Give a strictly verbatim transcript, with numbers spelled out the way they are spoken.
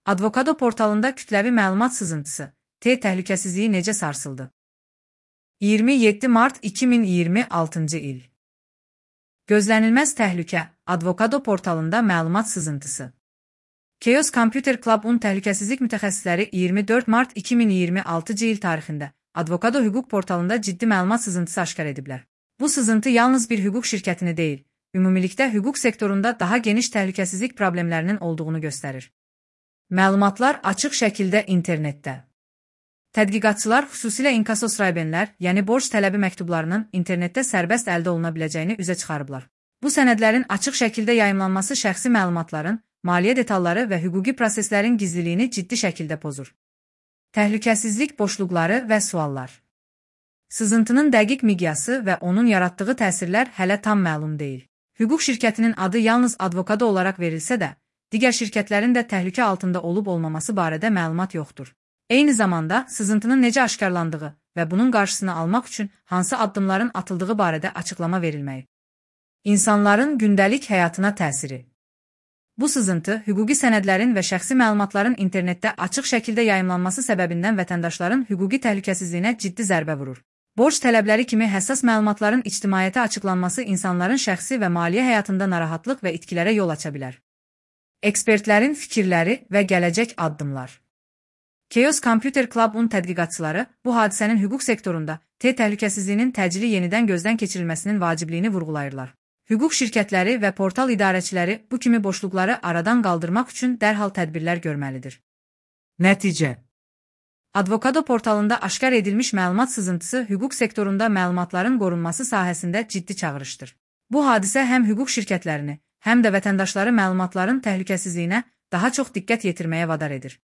Advokado portalında kütləvi məlumat sızıntısı, T təhlükəsizliyi necə sarsıldı? iyirmi yeddi mart iki min iyirmi altıncı il. Gözlənilməz təhlükə, Advokado portalında məlumat sızıntısı. Chaos Computer Club-un təhlükəsizlik mütəxəssisləri iyirmi dörd mart iki min iyirmi altıncı il tarixində Advokado hüquq portalında ciddi məlumat sızıntısı aşkar ediblər. Bu sızıntı yalnız bir hüquq şirkətini deyil, ümumilikdə hüquq sektorunda daha geniş təhlükəsizlik problemlərinin olduğunu göstərir. Məlumatlar açıq şəkildə internetdə. Tədqiqatçılar xüsusilə inkasos raybenlər, yəni borc tələbi məktublarının internetdə sərbəst əldə oluna biləcəyini üzə çıxarıblar. Bu sənədlərin açıq şəkildə yayımlanması şəxsi məlumatların, maliyyə detalları və hüquqi proseslərin gizliliyini ciddi şəkildə pozur. Təhlükəsizlik boşluqları və suallar. Sızıntının dəqiq miqyası və onun yaratdığı təsirlər hələ tam məlum deyil. Hüquq şirkətinin adı yalnız Advokado olaraq verilsə də, digər şirkətlərin də təhlükə altında olub-olmaması barədə məlumat yoxdur. Eyni zamanda, sızıntının necə aşkarlandığı və bunun qarşısını almaq üçün hansı addımların atıldığı barədə açıqlama verilməyib. İnsanların gündəlik həyatına təsiri. Bu sızıntı, hüquqi sənədlərin və şəxsi məlumatların internetdə açıq şəkildə yayımlanması səbəbindən vətəndaşların hüquqi təhlükəsizliyinə ciddi zərbə vurur. Borc tələbləri kimi həssas məlumatların ictimaiyyətə açıqlanması insanların şəxsi və maliyyə həyatında narahatlıq və itkilərə yol aça bilər. Ekspertlərin fikirləri və gələcək addımlar. Chaos Computer Club-un tədqiqatçıları bu hadisənin hüquq sektorunda T təhlükəsizliyinin təcili yenidən gözdən keçirilməsinin vacibliyini vurğulayırlar. Hüquq şirkətləri və portal idarəçiləri bu kimi boşluqları aradan qaldırmaq üçün dərhal tədbirlər görməlidir. Nəticə. Advokado portalında aşkar edilmiş məlumat sızıntısı hüquq sektorunda məlumatların qorunması sahəsində ciddi çağırışdır. Bu hadisə həm hüquq şirkətlərini, həm də vətəndaşları məlumatların təhlükəsizliyinə daha çox diqqət yetirməyə vadar edir.